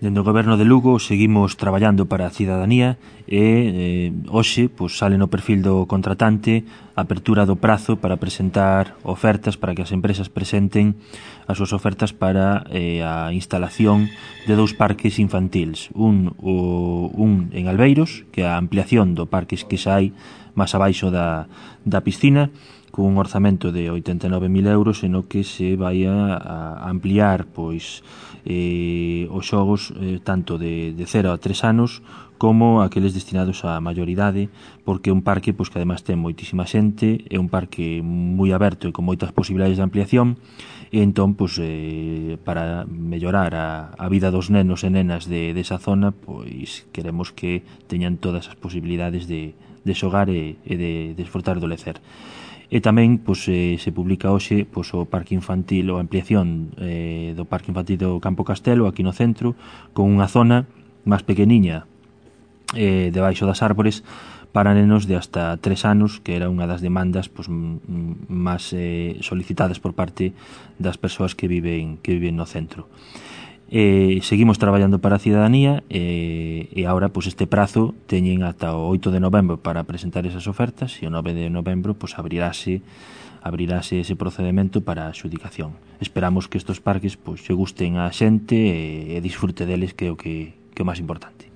Dende o Goberno de Lugo seguimos traballando para a cidadanía e hoxe sale no perfil do contratante a apertura do prazo para presentar ofertas, para que as empresas presenten as súas ofertas para a instalación de 2 parques infantiles. Un en Albeiros, que é a ampliación do parque que xa hai máis abaixo da piscina, con un orzamento de 89.000 euros, en o que se vai a ampliar os xogos tanto de 0 a 3 anos como aqueles destinados á maioridade, porque é un parque que además ten moitísima xente, é un parque moi aberto e con moitas posibilidades de ampliación, e entón para mellorar a vida dos nenos e nenas desa zona, queremos que teñan todas as posibilidades de xogar e de desfrutar do lecer. E tamén se publica hoxe o parque infantil ou a ampliación do parque infantil do Campo Castelo aquí no centro, con unha zona máis pequeniña debaixo das árbores para nenos de hasta 3 anos, que era unha das demandas máis solicitadas por parte das persoas que viven no centro. Seguimos traballando para a cidadanía e agora este prazo teñen ata o 8 de novembro para presentar esas ofertas, e o 9 de novembro abrirase ese procedimento para a adxudicación. Esperamos que estes parques lle gusten a xente e disfrute deles, que é o máis importante.